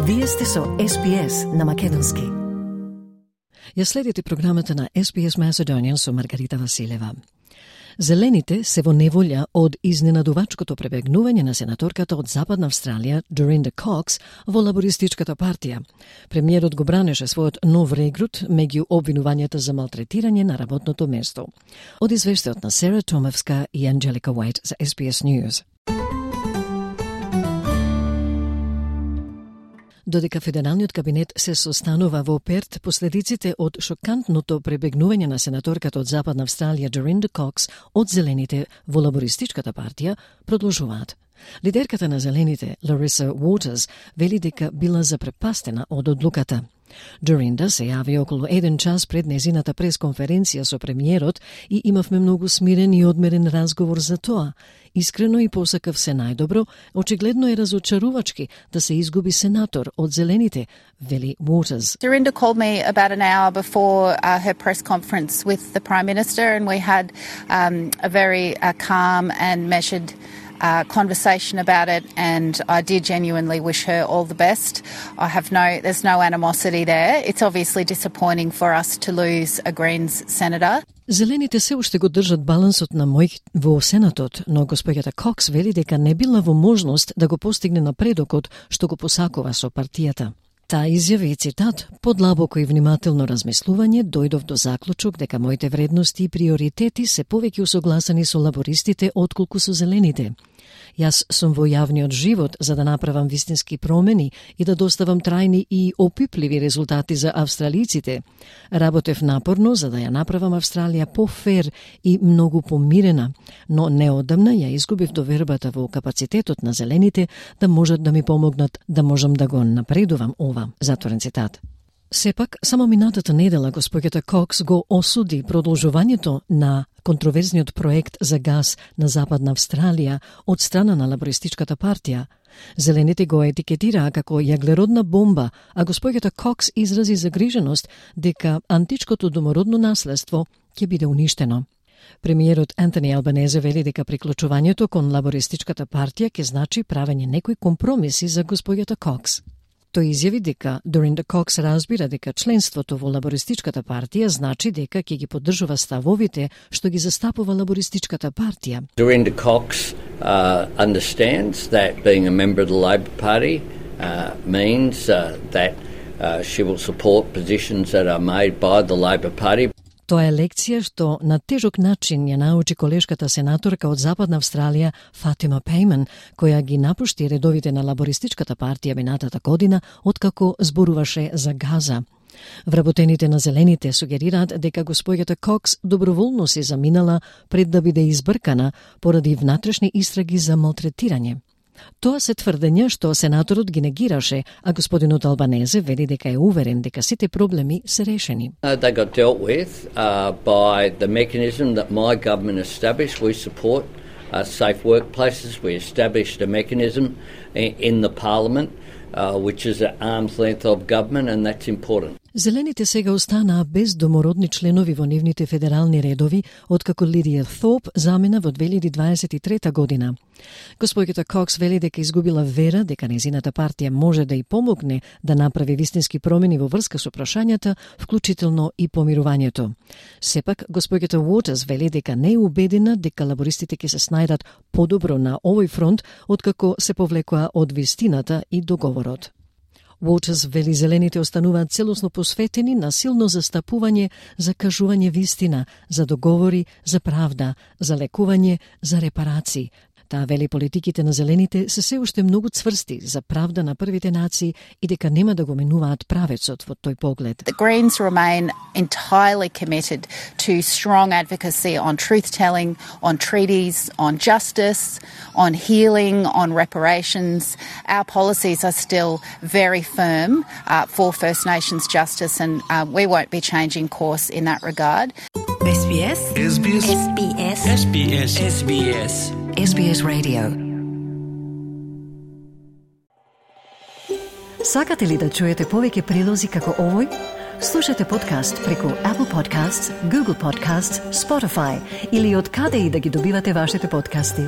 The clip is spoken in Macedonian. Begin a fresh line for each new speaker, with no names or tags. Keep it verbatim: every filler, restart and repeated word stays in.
Вие сте со Ес Би Ес на македонски. Ја следите програмата на Ес Би Ес Macedonian со Маргарита Василева. Зелените се во неволја од изненадувачкото пребегнување на сенаторката од Западна Австралија, Dorinda Cox, во лабористичката партија. Премиерот го бранеше својот нов регрут меѓу обвинувањата за малтретирање на работното место. Од извештајот на Сера Томевска и Анджелика Уајт за Ес Би Ес News. Додека федералниот кабинет се состанува во Перт, последиците од шокантното пребегнување на сенаторката од Западна Австралија Dorinda Cox од Зелените во лабористичката партија продолжуваат. Лидерката на Зелените, Лариса Уотерс, вели дека била запрепастена од одлуката. Dorinda се јави околу еден час пред незината пресконференција со премиерот и имавме многу смирен и одмерен разговор за тоа. Искрено и посакав се најдобро, очигледно е разочарувачки да се изгуби сенатор од Зелените, вели Waters.
Dorinda called me about an hour before uh, her press conference with the Prime Minister, and we had um, a very uh, calm and measured Uh, conversation about it, and I did genuinely wish her all the best. I have no, there's no animosity there. It's obviously disappointing for us to lose a Greens senator.
Зелените се уште го држат балансот на мој во Сенатот, но госпоѓата Кокс вели дека не била во можност да го постигне напредокот што го посакува со партијата. Таа изјави, цитат, подлабоко и внимателно размислување дојдов до заклучок дека моите вредности и приоритети се повеќе усогласени со лабористите отколку со Зелените. Јас сум во јавниот живот за да направам вистински промени и да доставам трајни и опипливи резултати за австралиците. Работев напорно за да ја направам Австралија пофер и многу помирена, но неодамна ја изгубив довербата во капацитетот на Зелените да можат да ми помогнат да можам да го напредувам ова. Затворен цитат. Сепак, само минатата недела госпоѓата Кокс го осуди продолжувањето на контроверзниот проект за газ на Западна Австралија од страна на лабористичката партија. Зелените го етикетираа како јаглеродна бомба, а госпоѓата Кокс изрази загриженост дека античкото домородно наследство ќе биде уништено. Премиерот Антони Албанезе вели дека приклучувањето кон лабористичката партија ќе значи правење некои компромиси за госпоѓата Кокс. Тој изјави дека Dorinda Cox разбира дека членството во лабористичката партија значи дека ќе ги поддржува ставовите што ги застапува лабористичката партија.
Dorinda Cox uh, understands that being a member of the Labor Party uh, means uh, that uh, she will support positions that are made by the Labor Party.
Тоа е лекција што на тежок начин ја научи колешката сенаторка од Западна Австралија Фатима Пейман, која ги напушти редовите на лабористичката партија минатата година, откако зборуваше за газа. Вработените на Зелените сугерираат дека госпоѓата Кокс доброволно се заминала пред да биде избркана поради внатрешни истраги за малтретирање. Тоа се тврдења што сенаторот ги негираше, а господинот Албанезе вели дека е уверен дека сите проблеми се решени.
Uh, they got dealt with uh, by the mechanism that my government established. We support uh, safe workplaces. We established a mechanism in, in the parliament uh, which is an arm's length of government, and that's important.
Зелените сега останаа без домородни членови во нивните федерални редови, откако Лидија Thorpe замина во две илјади дваесет и трета година. Госпоѓата Кокс вели дека изгубила вера дека незината партија може да и помогне да направи вистински промени во врска со прашањата, вклучително и помирувањето. Сепак, госпоѓата Waters вели дека не е убедена дека лабористите ќе се снајдат подобро на овој фронт, откако се повлекоа од вистината и договорот. Waters вели Зелените остануваат целосно посветени на силно застапување за кажување вистина, за договори, за правда, за лекување, за репарации. Таа вели политиките на Зелените се се уште многу цврсти за правда на првите нации и дека нема да го менуваат правецот во тој поглед.
The Greens remain entirely committed to strong advocacy on truth-telling, on treaties, on justice, on healing, on reparations. Our policies are still very firm uh, for First Nations justice, and uh, we won't be changing course in that regard.
Ес Би Ес
Ес Би Ес
Ес Би Ес
Ес Би Ес Ес Би Ес
Ес Би Ес Radio. Сакате ли да чуете повеќе прилози како овој? Слушате подкаст преку Apple Podcasts, Google Podcasts, Spotify или од каде и да ги добивате вашите подкасти.